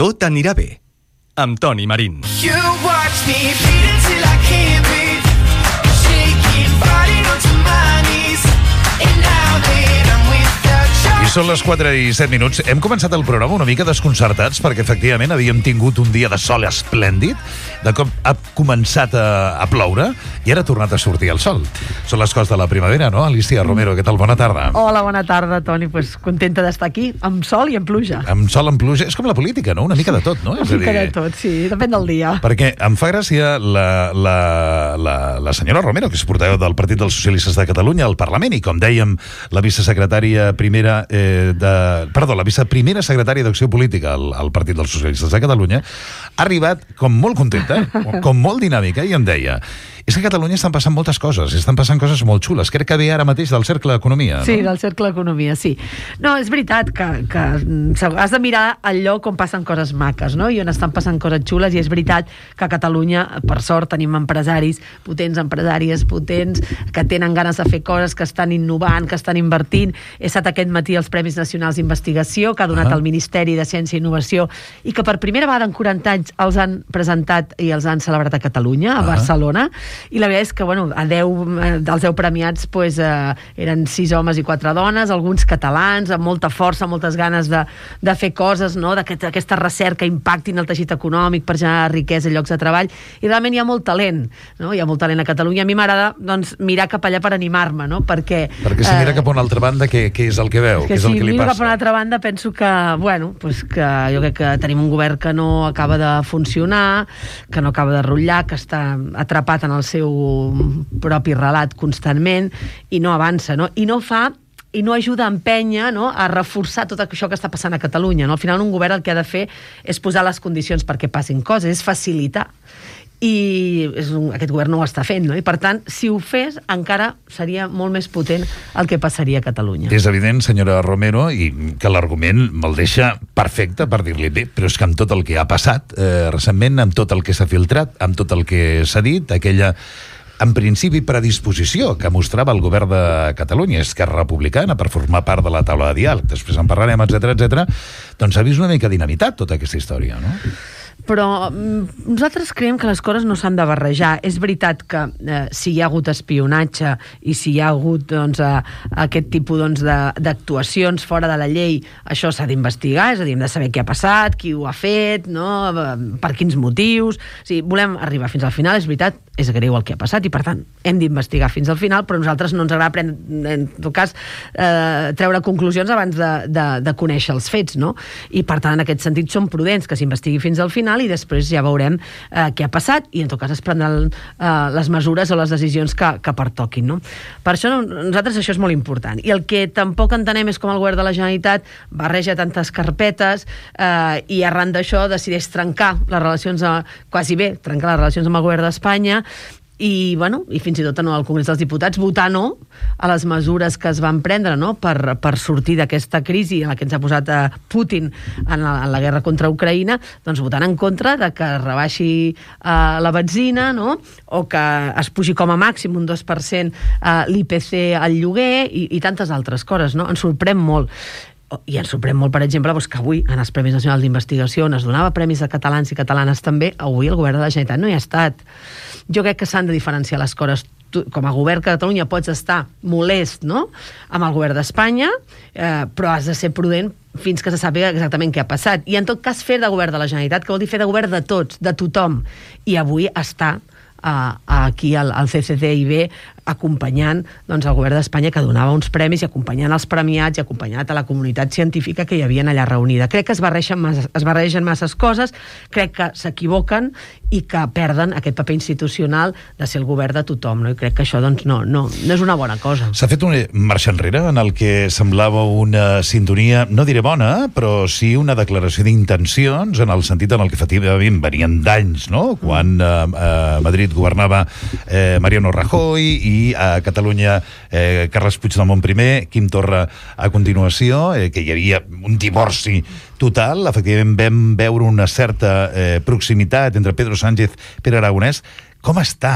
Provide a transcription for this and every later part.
Tot anirà bé, amb Toni Marín. You watch me bleed until I can't breathe, shaking, falling onto my knees, and now that I'm without you. I són les 4:07. Hem començat el programa una mica desconcertats perquè efectivament havíem tingut un dia de sol esplèndid, de cop ha començat a ploure i ara ha tornat a sortir el sol. Són les coses de la primavera, no? Alicia Romero, què tal? Bona tarda. Hola, bona tarda, Toni. Pues contenta d'estar aquí, amb sol i amb pluja. Amb sol, amb pluja. És com la política, no? Una mica de tot, no? Una mica de tot, sí. Depèn del dia. Perquè em fa gràcia la senyora Romero, que és portaveu del Partit dels Socialistes de Catalunya al Parlament, i com dèiem, la vicesecretària primera la viceprimera secretària d'Acció Política al Partit dels Socialistes de Catalunya, ha arribat com molt contenta, com molt dinàmica, i em deia: és que a Catalunya estan passant moltes coses, estan passant coses molt xules. Crec que ve ara mateix del Cercle d'Economia, no? Sí, del Cercle d'Economia, sí. No, és veritat que has de mirar el lloc on passen coses maques, no? I on estan passant coses xules, i és veritat que a Catalunya, per sort, tenim empresaris potents, empresàries potents, que tenen ganes de fer coses, que estan innovant, que estan invertint. He estat aquest matí als Premis Nacionals d'Investigació, que ha donat el Ministeri de Ciència i Innovació, i que per primera vegada en 40 anys els han presentat i els han celebrat a Catalunya, a Barcelona. I la veritat és que, bueno, dels 10 premiats eren 6 homes i 4 dones, alguns catalans, amb molta força, moltes ganes de fer coses, no? D'aquesta recerca impacti en el teixit econòmic per generar riquesa i llocs de treball, i realment hi ha molt talent, no? Hi ha molt talent a Catalunya. A mi m'agrada, doncs, mirar cap allà per animar-me, no? Perquè si mira cap a una altra banda, què és el que veu? Què és el que li passa? Si miro cap a una altra banda, penso que, bueno, pues que jo crec que tenim un govern que no acaba de funcionar, que no acaba de rotllar, que està atrapat en el seu propi relat constantment i no avança, no? I no ajuda a empènyer, no? A reforçar tot això que està passant a Catalunya, no? Al final un govern el que ha de fer és posar les condicions perquè passin coses, és facilitar. I aquest govern no ho està fent, no? I per tant, si ho fes, encara seria molt més potent el que passaria a Catalunya. És evident, senyora Romero, i que l'argument me'l deixa perfecte per dir-li bé, però és que amb tot el que ha passat recentment, amb tot el que s'ha filtrat, amb tot el que s'ha dit, aquella, en principi, predisposició que mostrava el govern de Catalunya, Esquerra Republicana, per formar part de la taula de diàleg, després en parlarem, etc., doncs s'ha vist una mica dinamitat tota aquesta història, no? Però nosaltres creiem que les coses no s'han de barrejar. És veritat que si hi ha hagut espionatge i si hi ha hagut, doncs, aquest tipus d'actuacions fora de la llei, això s'ha d'investigar, és a dir, hem de saber què ha passat, qui ho ha fet, no? Per quins motius. O sigui, volem arribar fins al final, és veritat, és greu el que ha passat i, per tant, hem d'investigar fins al final, però a nosaltres no ens agrada, en tot cas, treure conclusions abans de conèixer els fets, no? I, per tant, en aquest sentit, som prudents, que s'investigui fins al final i després ja veurem què ha passat i en tot cas es prendran les mesures o les decisions que pertoquin, no? Per això nosaltres això és molt important. I el que tampoc entenem és com el govern de la Generalitat barreja tantes carpetes i arran d'això decideix trencar les relacions, quasi bé, trencar les relacions amb el govern d'Espanya i, bueno, i fins i tot al Congrés dels Diputats votar no a les mesures que es van prendre, no? per sortir d'aquesta crisi en la que ens ha posat Putin en la guerra contra Ucraïna, doncs votant en contra de que es rebaixi la benzina, no? O que es pugi com a màxim un 2% l'IPC al lloguer i tantes altres coses, no? Ens sorprèn molt. I ens sorprèn molt, per exemple, que avui, en els Premis Nacionals d'Investigació, on es donava premis a catalans i catalanes també, avui el govern de la Generalitat no hi ha estat. Jo crec que s'han de diferenciar les coses. Tu, com a govern de Catalunya, pots estar molest, no?, amb el govern d'Espanya, però has de ser prudent fins que se sàpiga exactament què ha passat. I, en tot cas, fer de govern de la Generalitat, que vol dir fer de govern de tots, de tothom. I avui està aquí al CCCIB acompanyant, doncs, el govern d'Espanya, que donava uns premis, i acompanyant els premiats i acompanyant a la comunitat científica que hi havia allà reunida. Crec que es barregen masses coses, crec que s'equivoquen i que perden aquest paper institucional de ser el govern de tothom, no? I crec que això, doncs, no és una bona cosa. S'ha fet una marxa enrere en el que semblava una sintonia, no diré bona, però sí una declaració d'intencions, en el sentit en el que efectivament venien d'anys, no?, quan a Madrid governava Mariano Rajoy i a Catalunya Carles Puigdemont primer, Quim Torra a continuació, que hi havia un divorci total. Efectivament vam veure una certa proximitat entre Pedro Sánchez i Pere Aragonès. Com està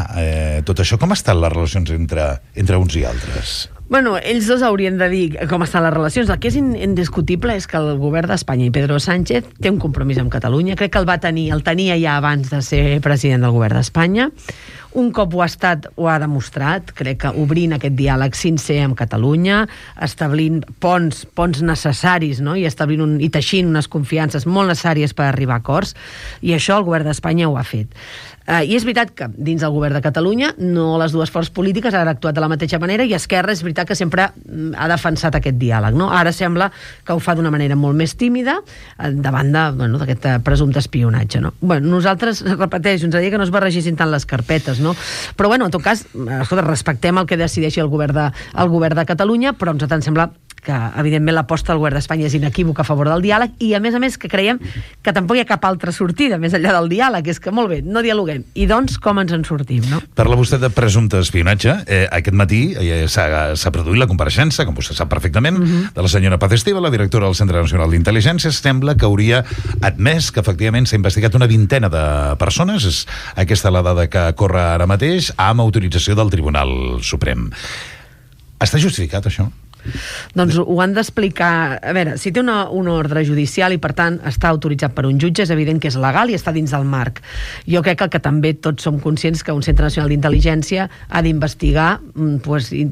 tot això? Com estan les relacions entre uns i altres? Bueno, ells dos haurien de dir com estan les relacions. El que és indiscutible és que el govern d'Espanya i Pedro Sánchez té un compromís amb Catalunya. Crec que el tenia ja abans de ser president del govern d'Espanya. Un cop ho ha estat, ho ha demostrat, crec que obrint aquest diàleg sincer amb Catalunya, establint ponts necessaris, no? I teixint unes confiances molt necessàries per arribar a acords, i això el govern d'Espanya ho ha fet. I és veritat que dins del govern de Catalunya no les dues forces polítiques han actuat de la mateixa manera, i Esquerra és veritat que sempre ha defensat aquest diàleg, no? Ara sembla que ho fa d'una manera molt més tímida davant d'aquest presumpte espionatge, no? Nosaltres, repeteixo, ens agradaria que no es barregessin tant les carpetes, no? Però en tot cas, escolta, respectem el que decideixi el govern de Catalunya, però ens sembla que evidentment l'aposta del govern d'Espanya és inequívoca a favor del diàleg, i a més que creiem que tampoc hi ha cap altra sortida més enllà del diàleg. És que molt bé, no dialoguem, i doncs com ens en sortim, no? Parla vostè de presumpte espionatge. Aquest matí s'ha produït la compareixença, com vostè sap perfectament, de la senyora Paz Estiba, la directora del Centre Nacional d'Intel·ligència. Sembla que hauria admès que efectivament s'ha investigat una vintena de persones, és aquesta la dada que corre ara mateix, amb autorització del Tribunal Suprem. Està justificat, això? Doncs ho han d'explicar. A veure, si té una ordre judicial i per tant està autoritzat per un jutge, és evident que és legal i està dins del marc. Jo crec que també tots som conscients que un Centre Nacional d'Intel·ligència ha d'investigar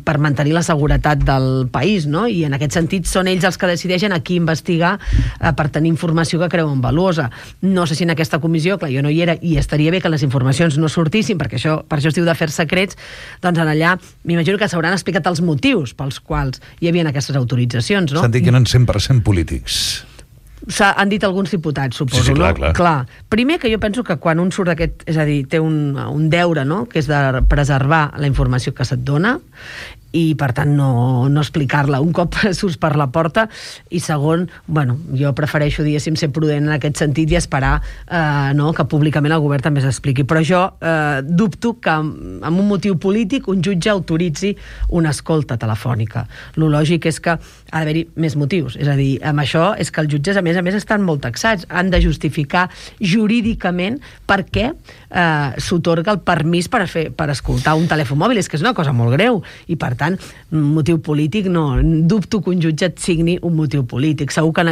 per mantenir la seguretat del país, no? I en aquest sentit són ells els que decideixen a qui investigar per tenir informació que creuen valuosa. No sé si en aquesta comissió, clar, jo no hi era, i estaria bé que les informacions no sortissin, perquè per això es diu d'afers secrets, doncs en allà m'imagino que s'hauran explicat els motius pels quals hi havia aquestes autoritzacions, no? S'han dit que eren 100% polítics. Han dit alguns diputats, suposo, sí, no? Clar. Primer, que jo penso que quan un surt d'aquest, és a dir, té un deure, no?, que és de preservar la informació que se't dona, i per tant no explicar-la un cop surts per la porta, i segon, jo prefereixo, diguéssim, ser prudent en aquest sentit i esperar que públicament el govern també s'expliqui. Però jo dubto que amb un motiu polític un jutge autoritzi una escolta telefònica. Lo lògic és que ha d'haver-hi més motius, és a dir, amb això és que els jutges a més estan molt taxats, han de justificar jurídicament per què s'otorga el permís per escoltar un telèfon mòbil. És que és una cosa molt greu, i per tant, motiu polític no, dubto que un jutge et signi un motiu polític. Segur que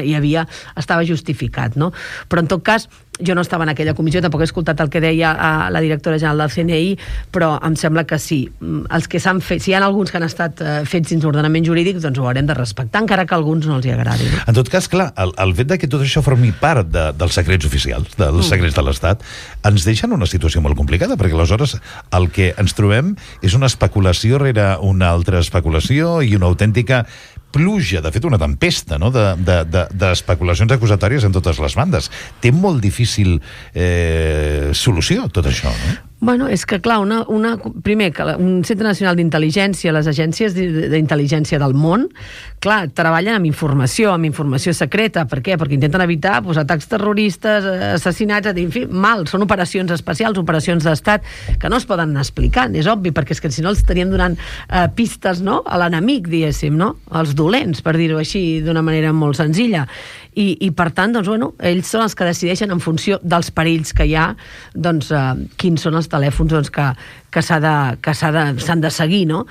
estava justificat, no? Però en tot cas, jo no estava en aquella comissió, tampoc he escoltat el que deia la directora general del CNI, però em sembla que sí. Els que s'han fet, si hi ha alguns que han estat fets dins l'ordenament jurídic, doncs ho haurem de respectar, encara que a alguns no els hi agradi. No? En tot cas, clar, el fet que tot això formi part dels secrets oficials, dels secrets de l'Estat, ens deixa en una situació molt complicada, perquè aleshores el que ens trobem és una especulació rere una altra especulació i una autèntica pluja, de fet una tempesta, no?, d'especulacions acusatòries en totes les bandes. Té molt difícil solució tot això, no? És que, clar, primer, que un Centre Nacional d'Intel·ligència, les agències d'intel·ligència del món, clar, treballen amb informació secreta. Per què? Perquè intenten evitar atacs terroristes, assassinats, en fi, són operacions especials, operacions d'estat, que no es poden anar explicant, és obvi, perquè és que si no els estaríem donant pistes, no?, a l'enemic, diguéssim, no?, als dolents, per dir-ho així d'una manera molt senzilla. I per tant, ells són els que decideixen en funció dels perills que hi ha, quins són els telèfons que s'han de seguir, no?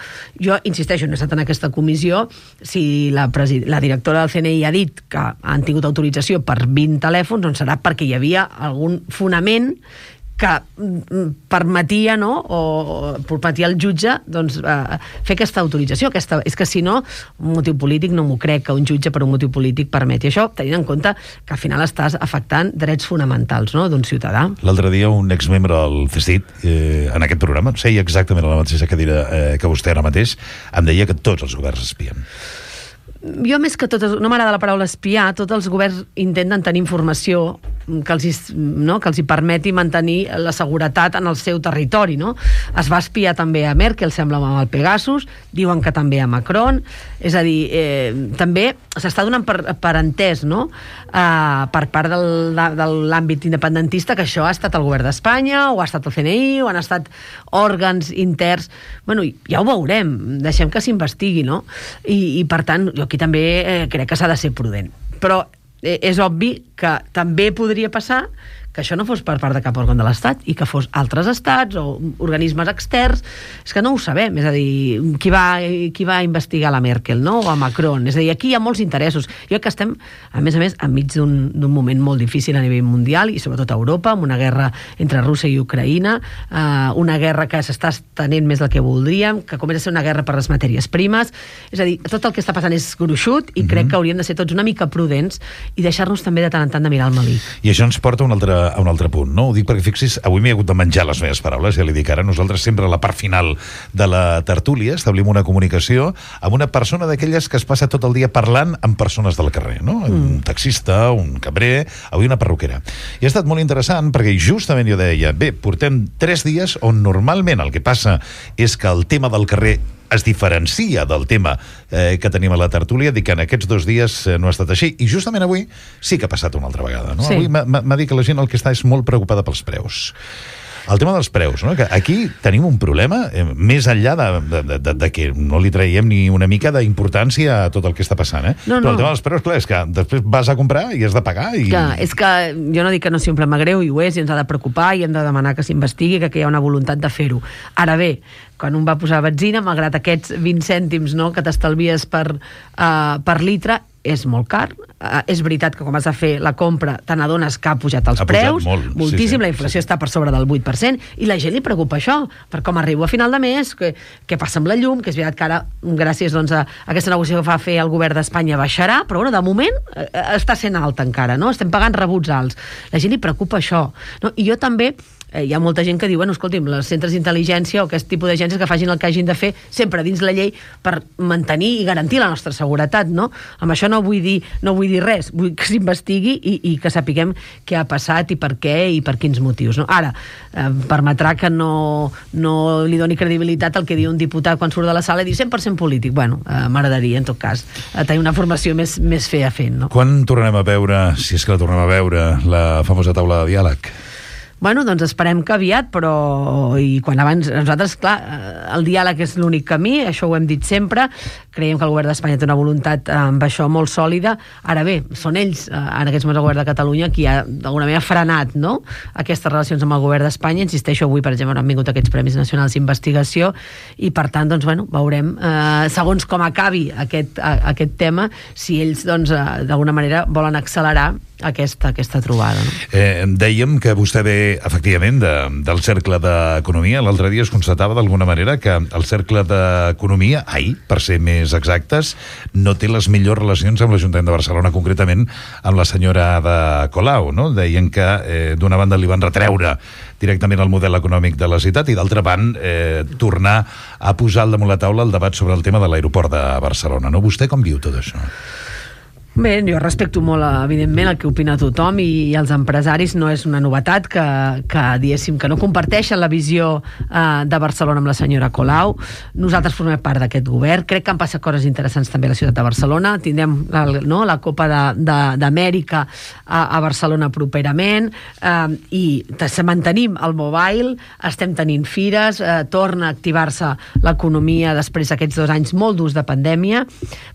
Jo insisteixo, no he estat en aquesta comissió. Si la directora del CNI ha dit que han tingut autorització per 20 telèfons, doncs serà perquè hi havia algun fonament que permetia, no?, o permetia al jutge fer aquesta autorització. És que si no, un motiu polític no m'ho crec, que un jutge per un motiu polític permeti això, tenint en compte que al final estàs afectant drets fonamentals, no?, d'un ciutadà. L'altre dia un exmembre del CSIC, en aquest programa, seia exactament a la mateixa cadira que vostè ara mateix, em deia que tots els governs espien. Jo, més que tot, no m'agrada la paraula espiar. Tots els governs intenten tenir informació que els hi permeti mantenir la seguretat en el seu territori, no? Es va espiar també a Merkel, sembla, amb el Pegasus, diuen que també a Macron. És a dir, també s'està donant per entès, no?, per part de l'àmbit independentista, que això ha estat el govern d'Espanya, o ha estat el CNI, o han estat òrgans interns. Ja ho veurem, deixem que s'investigui, no? I per tant, jo aquí també crec que s'ha de ser prudent. Però és obvi que també podria passar que això no fos per part de cap òrgan de l'Estat i que fos altres estats o organismes externs. És que no ho sabem, és a dir, qui va investigar la Merkel, no? O a Macron. És a dir, aquí hi ha molts interessos. Jo crec que estem, a més, enmig d'un moment molt difícil a nivell mundial i sobretot a Europa, amb una guerra entre Rússia i Ucraïna, una guerra que s'està estenent més del que voldríem, que comença a ser una guerra per les matèries primes. És a dir, tot el que està passant és gruixut i crec que hauríem de ser tots una mica prudents i deixar-nos també de tant en tant de mirar el melic. I això ens porta a un altre punt, no? Ho dic perquè, fixis, avui m'he hagut de menjar les meves paraules, ja li dic ara, nosaltres sempre a la part final de la tertúlia establim una comunicació amb una persona d'aquelles que es passa tot el dia parlant amb persones del carrer, no? Un taxista, un cambrer, avui una perruquera. I ha estat molt interessant perquè justament jo deia, bé, portem 3 dies on normalment el que passa és que el tema del carrer es diferencia del tema que tenim a la tertúlia, dic que en aquests 2 dies no ha estat així, i justament avui sí que ha passat una altra vegada, no? Sí. Avui m'ha dit que la gent el que està és molt preocupada pels preus. El tema dels preus, no? Que aquí tenim un problema, més enllà de que no li traiem ni una mica d'importància a tot el que està passant, No. Però el tema dels preus, clar, és que després vas a comprar i has de pagar i... Clar, és que jo no dic que no sigui un problema greu, i ho és, i ens ha de preocupar, i hem de demanar que s'investigui, que hi ha una voluntat de fer-ho. Ara bé, quan un va posar benzina, malgrat aquests 20 cèntims, no, que t'estalvies per litre, és molt car. És veritat que quan vas a fer la compra te n'adones que ha pujat els preus, moltíssim, la inflació està per sobre del 8%, i la gent li preocupa això, per com arribo a final de mes, què passa amb la llum, que és veritat que ara, gràcies doncs, a aquesta negociació que fa fer el govern d'Espanya, baixarà, però bueno, de moment està sent alta encara, no? Estem pagant rebuts alts. La gent li preocupa això, no? I jo també hi ha molta gent que diu, bueno, escolti'm, els centres d'intel·ligència o aquest tipus d'agències que facin el que hagin de fer sempre dins la llei per mantenir i garantir la nostra seguretat, no? Amb això no vull dir res, vull que s'investigui i que sapiguem què ha passat i per què i per quins motius, no? Ara, permetrà que no li doni credibilitat al que diu un diputat quan surt de la sala i diu 100% polític. Bueno, m'agradaria, en tot cas, tenir una formació més fent, no? Quan tornarem a veure, si és que la tornem a veure, la famosa taula de diàleg? Bueno, doncs esperem que aviat, però i quan abans, nosaltres, clar, el diàleg és l'únic camí, això ho hem dit sempre, creiem que el govern d'Espanya té una voluntat amb això molt sòlida. Ara bé, són ells, en aquests moments el govern de Catalunya, qui ha d'alguna manera frenat, no?, aquestes relacions amb el govern d'Espanya. Insisteixo, avui, per exemple, han vingut aquests Premis Nacionals d'Investigació i, per tant, doncs, bueno, veurem, segons com acabi aquest tema, si ells, doncs, d'alguna manera volen accelerar aquesta trobada, no? Dèiem que vostè ve, efectivament, del Cercle d'Economia. L'altre dia es constatava d'alguna manera que el Cercle d'Economia, ahir, per ser més exactes, no té les millors relacions amb l'Ajuntament de Barcelona, concretament amb la senyora Ada Colau, no? Deien que d'una banda li van retreure directament el model econòmic de la ciutat i d'altra banda tornar a posar al damunt la taula el debat sobre el tema de l'aeroport de Barcelona, no? Vostè com viu tot això? Bé, jo respecto molt, evidentment, el que opina tothom i els empresaris. No és una novetat que diguéssim, que no comparteixen la visió de Barcelona amb la senyora Colau. Nosaltres formem part d'aquest govern. Crec que han passat coses interessants també a la ciutat de Barcelona. Tindrem la Copa d'Amèrica a Barcelona properament i mantenim el mobile, estem tenint fires, torna a activar-se l'economia després d'aquests 2 anys molt durs de pandèmia,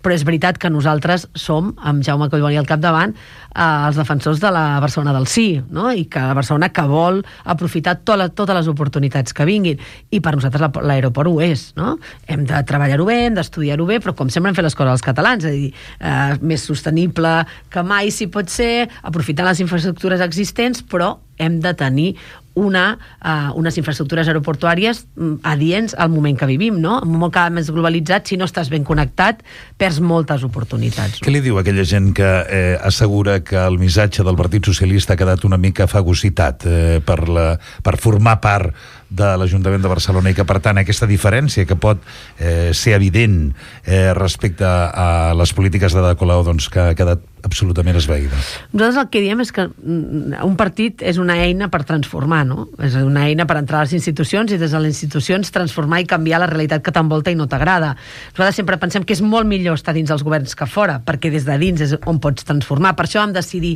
però és veritat que nosaltres som, amb Jaume Collboni al capdavant, els defensors de la Barcelona del sí, no? I que la Barcelona que vol aprofitar totes les oportunitats que vinguin, i per nosaltres l'aeroport ho és, no? Hem de treballar-ho bé, hem d'estudiar-ho bé, però com sempre hem fet les coses els catalans, és a dir, més sostenible que mai si pot ser, aprofitant les infraestructures existents, però hem de tenir unes infraestructures aeroportuàries adients al moment que vivim, no? En un món cada més globalitzat, si no estàs ben connectat, perds moltes oportunitats. Què li diu aquella gent que assegura que el missatge del Partit Socialista ha quedat una mica fagocitat per formar part de l'Ajuntament de Barcelona i que, per tant, aquesta diferència que pot ser evident respecte a les polítiques de Ada Colau, doncs, que ha quedat absolutament esvaïda? Nosaltres el que diem és que un partit és una eina per transformar, no? És una eina per entrar a les institucions i des de les institucions transformar i canviar la realitat que t'envolta i no t'agrada. Nosaltres sempre pensem que és molt millor estar dins els governs que fora, perquè des de dins és on pots transformar. Per això vam decidir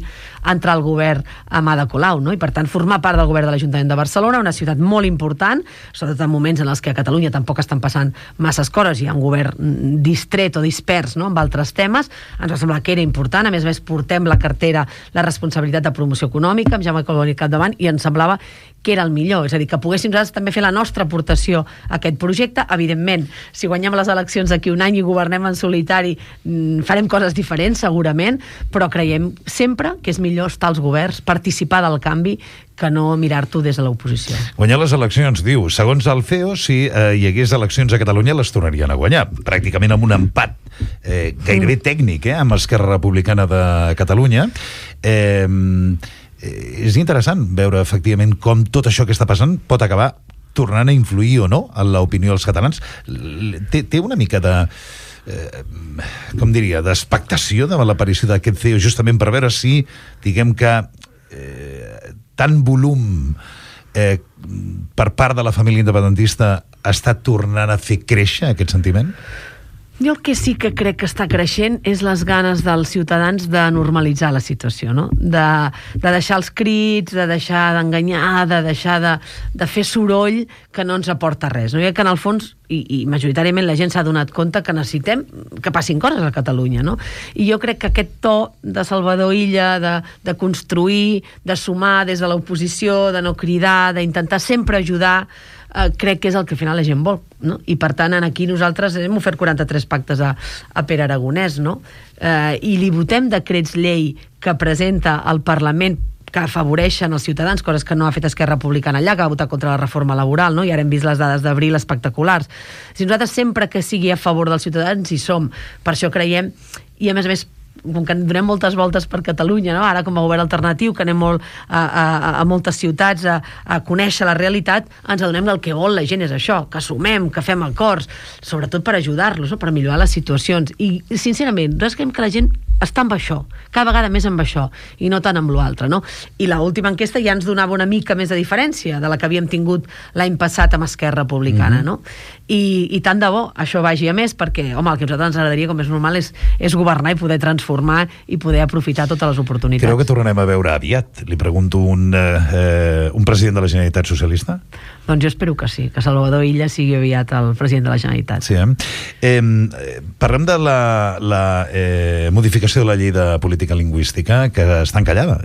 entrar al govern amb Ada Colau, no? I per tant formar part del govern de l'Ajuntament de Barcelona, una ciutat molt important, sobretot en moments en els que a Catalunya tampoc estan passant masses coses, hi ha un govern distret o dispers, no?, amb altres temes. Ens va semblar que era important, a més més a més portem la cartera, la responsabilitat de promoció econòmica, amb Jaume Collboni al capdavant, i ens semblava que era el millor, és a dir, que poguéssim nosaltres també fer la nostra aportació a aquest projecte. Evidentment, si guanyem les eleccions d'aquí un any i governem en solitari, farem coses diferents, segurament, però creiem sempre que és millor estar als governs, participar del canvi, que no mirar-t'ho des de l'oposició. Guanyar les eleccions, diu, segons el CEO, si hi hagués eleccions a Catalunya, les tornarien a guanyar, pràcticament amb un empat gairebé tècnic, amb Esquerra Republicana de Catalunya. És interessant veure efectivament com tot això que està passant pot acabar tornant a influir o no en l'opinió dels catalans. Té una mica de com diria, d'expectació davant l'aparició d'aquest CEO, justament per veure si, diguem que tant volum per part de la família independentista està tornant a fer créixer aquest sentiment? Jo el que sí que crec que està creixent és les ganes dels ciutadans de normalitzar la situació, no? De deixar els crits, de deixar d'enganyar, de deixar de fer soroll que no ens aporta res. No? I que en el fons, i majoritàriament la gent s'ha donat compte que necessitem que passin coses a Catalunya, no? I jo crec que aquest to de Salvador Illa, de construir, de sumar des de l'oposició, de no cridar, d'intentar sempre ajudar, crec que és el que al final la gent vol, no? I per tant aquí nosaltres hem ofert 43 pactes a Pere Aragonès, no? I li votem decrets llei que presenta al Parlament que afavoreixen els ciutadans, coses que no ha fet Esquerra Republicana allà, que va votar contra la reforma laboral, no? I ara hem vist les dades d'abril espectaculars. Si nosaltres sempre que sigui a favor dels ciutadans hi som, per això creiem, i a més, com que donem moltes voltes per Catalunya, no? Ara com a govern alternatiu, que anem molt a moltes ciutats a conèixer la realitat, ens adonem que el que vol la gent és això, que sumem, que fem acords, sobretot per ajudar-los, no? Per millorar les situacions. I sincerament, nosaltres creiem que la gent està amb això, cada vegada més amb això, i no tant amb l'altre, no? I l'última enquesta ja ens donava una mica més de diferència de la que havíem tingut l'any passat amb Esquerra Republicana, no? I tant de bo això vagi a més, perquè, home, el que a nosaltres ens agradaria, com és normal, és governar i poder transformar i poder aprofitar totes les oportunitats. Creu que tornarem a veure aviat? Li pregunto un president de la Generalitat socialista? Doncs jo espero que sí, que Salvador Illa sigui aviat el president de la Generalitat. Sí, parlem de la modificació de la llei de política lingüística, que està encallada.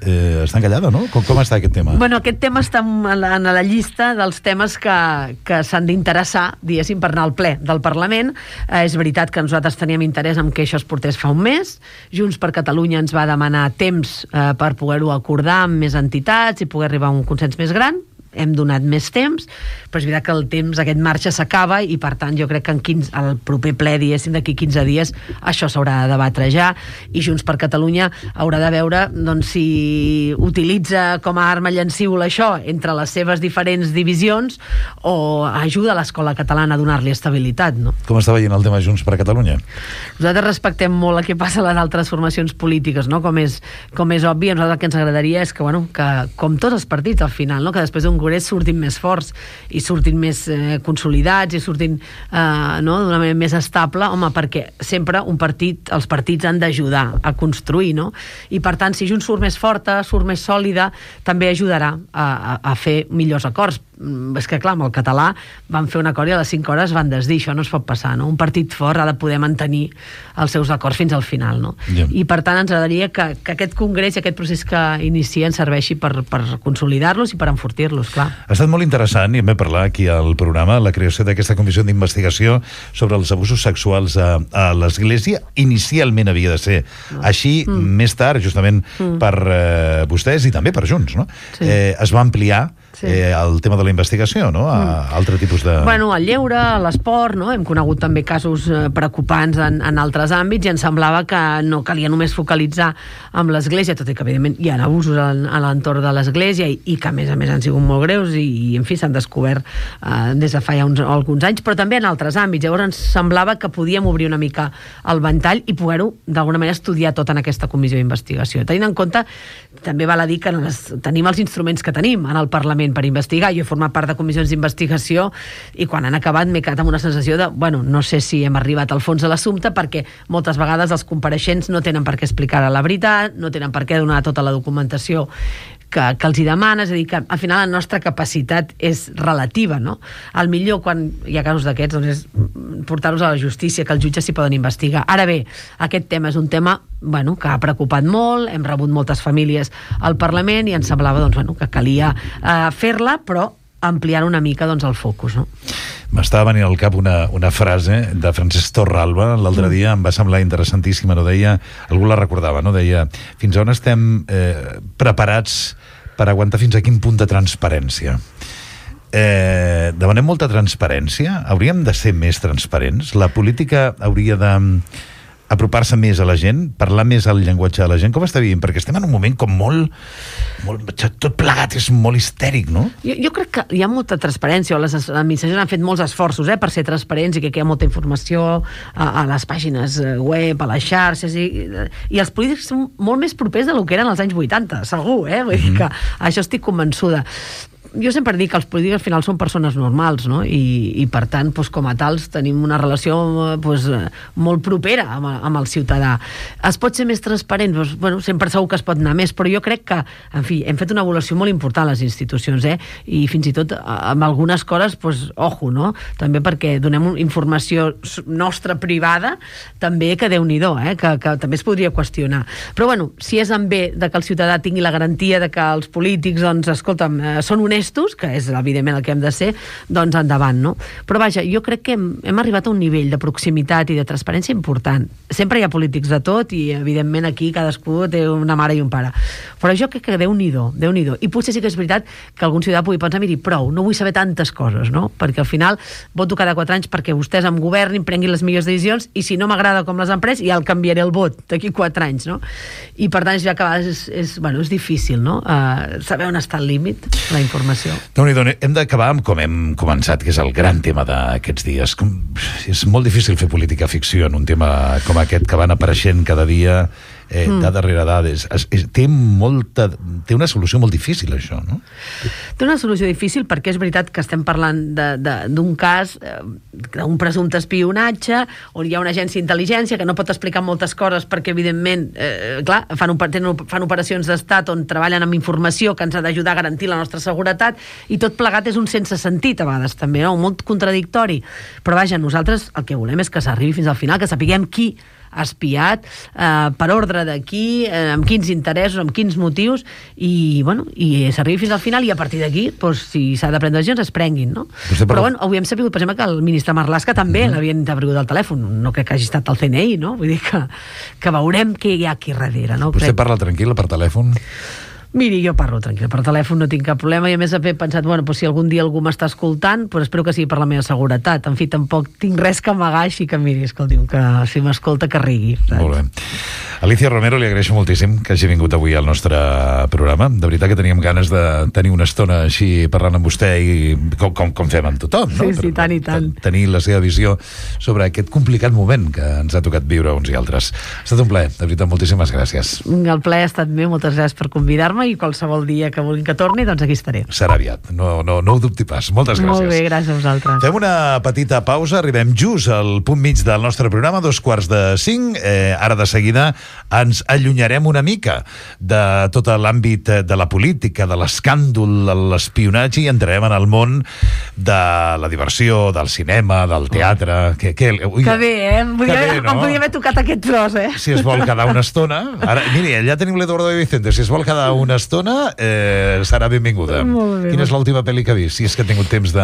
Està encallada, no? Com està aquest tema? Bueno, aquest tema està en la llista dels temes que s'han d'interessar, diguéssim, per anar al ple del Parlament. És veritat que nosaltres teníem interès en que això es portés fa un mes. Junts per Catalunya ens va demanar temps per poder-ho acordar amb més entitats i poder arribar a un consens més gran. Hem donat més temps, però és veritat que el temps, aquest marge s'acaba, i per tant jo crec que al proper ple, diguéssim, d'aquí 15 dies, això s'haurà de debatre ja, i Junts per Catalunya haurà de veure, doncs, si utilitza com a arma llancívola això entre les seves diferents divisions o ajuda a l'escola catalana a donar-li estabilitat, no? Com està veient el tema Junts per Catalunya? Nosaltres respectem molt el que passa a les altres formacions polítiques, no? Com és obvi, a nosaltres el que ens agradaria és que, bueno, que com tots els partits al final, no? Que després d'un congrés surtin més forts i surtin més consolidats i surtin d'una manera més estable, home, perquè sempre els partits han d'ajudar a construir, no? I per tant, si Junts surt més forta, surt més sòlida, també ajudarà a fer millors acords. És que clar, amb el català van fer un acord i a les 5 hores van desdir, això no es pot passar, no? Un partit fort ha de poder mantenir els seus acords fins al final, no? Yeah. I per tant ens agradaria que aquest congrés i aquest procés que inicien serveixi per consolidar-los i per enfortir-los, clar. Ha estat molt interessant, i en vam parlar aquí al programa, la creació d'aquesta comissió d'investigació sobre els abusos sexuals a l'Església. Inicialment havia de ser així, més tard, justament per vostès i també per Junts, no? Sí. Es va ampliar el tema de la investigació, no? A altre tipus de... Bueno, al lleure, a l'esport, no? Hem conegut també casos preocupants en altres àmbits i ens semblava que no calia només focalitzar amb l'Església, tot i que evidentment hi ha abusos a l'entorn de l'Església i que a més han sigut molt greus i en fi, s'han descobert des de fa ja alguns anys, però també en altres àmbits. Llavors ens semblava que podíem obrir una mica el ventall i poder-ho d'alguna manera estudiar tot en aquesta comissió d'investigació. Tenint en compte, també val a dir que tenim els instruments que tenim en el Parlament per investigar. Jo he format part de comissions d'investigació i quan han acabat m'he quedat amb una sensació de, bueno, no sé si hem arribat al fons de l'assumpte, perquè moltes vegades els compareixents no tenen per què explicar la veritat, no tenen per què donar tota la documentació que els hi demana, és a dir, que al final la nostra capacitat és relativa, no? Al millor, quan hi ha casos d'aquests, doncs és portar-los a la justícia, que els jutges s'hi poden investigar. Ara bé, aquest tema és un tema que ha preocupat molt, hem rebut moltes famílies al Parlament i ens semblava que calia fer-la, però ampliant una mica el focus, no? M'estava venint al cap una frase de Francesc Torralba l'altre dia, em va semblar interessantíssima, no? Deia, algú la recordava, no? Deia, fins on estem preparats per aguantar fins a quin punt de transparència? Demanem molta transparència? Hauríem de ser més transparents? La política hauria de apropar-se més a la gent, parlar més el llenguatge de la gent? Com està vivint? Perquè estem en un moment com molt tot plegat és molt histèric, no? Jo crec que hi ha molta transparència, les administracions han fet molts esforços per ser transparents i que hi ha molta informació a les pàgines web, a les xarxes, i els polítics són molt més propers del que eren als anys 80, segur, Vull dir que això estic convençuda. Jo sempre dic que els polítics al final són persones normals, no? I per tant, com a tals, tenim una relació molt propera amb el ciutadà. Es pot ser més transparent? Sempre segur que es pot anar més, però jo crec que, en fi, hem fet una evolució molt important a les institucions, i fins i tot amb algunes coses, ojo, no? També perquè donem informació nostra privada, també que Déu-n'hi-do, que també es podria qüestionar. Però, si és en bé de que el ciutadà tingui la garantia de que els polítics, escolta'm, són honestos, que és evidentment el que hem de ser, doncs endavant, no? Però vaja, jo crec que hem arribat a un nivell de proximitat i de transparència important. Sempre hi ha polítics de tot i evidentment aquí cadascú té una mare i un pare. Però jo crec que Déu-n'hi-do. I potser sí que és veritat que algun ciutadà pugui pensar, miri, prou, no vull saber tantes coses, no? Perquè al final voto cada 4 anys perquè vostès em governin, prenguin les millors decisions, i si no m'agrada com les han pres, ja el canviaré el vot d'aquí 4 anys, no? I per tant, ja que a vegades és difícil, no? Saber on està el límit, la informació. Déu-n'hi-do, hem d'acabar amb com hem començat, que és el gran tema d'aquests dies. És molt difícil fer política ficció en un tema com aquest, que van apareixent cada dia, dada darrere dades. Té una solució molt difícil, això, no? Té una solució difícil perquè és veritat que estem parlant d'un cas, d'un presumpte espionatge, on hi ha una agència d'intel·ligència que no pot explicar moltes coses perquè, evidentment, clar, fan operacions d'estat on treballen amb informació que ens ha d'ajudar a garantir la nostra seguretat, i tot plegat és un sense sentit, a vegades, també, no? Molt contradictori. Però, vaja, nosaltres el que volem és que s'arribi fins al final, que sapiguem qui ha espiat, per ordre de qui, amb quins interessos, amb quins motius, i s'arribi fins al final, i a partir d'aquí, si s'ha de prendre decisions, es prenguin, no? Però, avui hem sabut, per exemple, que el ministre Marlaska també l'havien intervingut al telèfon. No crec que hagi estat el CNI, no? Vull dir que veurem què hi ha aquí darrere, no? Vostè parla tranquil·la per telèfon? Miri, jo parlo tranquil, per telèfon no tinc cap problema, i a més he pensat, si algun dia algú m'està escoltant, espero que sigui per la meva seguretat. En fi, tampoc tinc res que amagar, així que miri, escolti'm, que si m'escolta que rigui. Molt bé. Alicia Romero, li agraeixo moltíssim que hagi vingut avui al nostre programa. De veritat que teníem ganes de tenir una estona així parlant amb vostè, i com fem amb tothom, no? Sí, tant i tant. Tenir la seva visió sobre aquest complicat moment que ens ha tocat viure uns i altres. Ha estat un plaer, de veritat, moltíssimes gràcies. El plaer ha estat meu, moltes gràcies per convidar-me, i qualsevol dia que vulguin que torni, doncs aquí estaré. Serà aviat, no ho dubti pas. Moltes gràcies. Molt bé, gràcies a vosaltres. Fem una petita pausa, arribem just al punt mig del nostre programa, 4:45. Ara de seguida ens allunyarem una mica de tot l'àmbit de la política, de l'escàndol, de l'espionatge, i entrarem en el món de la diversió, del cinema, del teatre. Que bé, Em podia haver tocat aquest tros, Si es vol quedar una estona... Ara, miri, allà tenim l'Eduardo de Vicente. Si es vol quedar una estona, serà benvinguda. Quina és l'última pel·li que ha vist, si és que ha tingut temps de...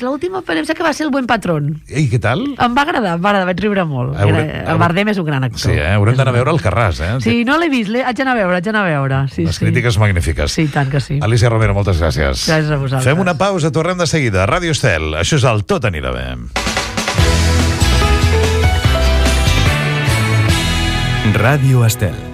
L'última pel·li em sembla que va ser El buen patrón. I què tal? Em va agradar, vaig riure molt. El Bardem és un gran actor. Sí, haurem d'anar a veure el Carràs, Sí, no l'he vist, haig d'anar a veure. Les crítiques magnífiques. Sí, tant que sí. Alicia Romero, moltes gràcies. Gràcies a vosaltres. Fem una pausa, tornem de seguida. Ràdio Estel, això és el Tot anirà bé. Ràdio Estel.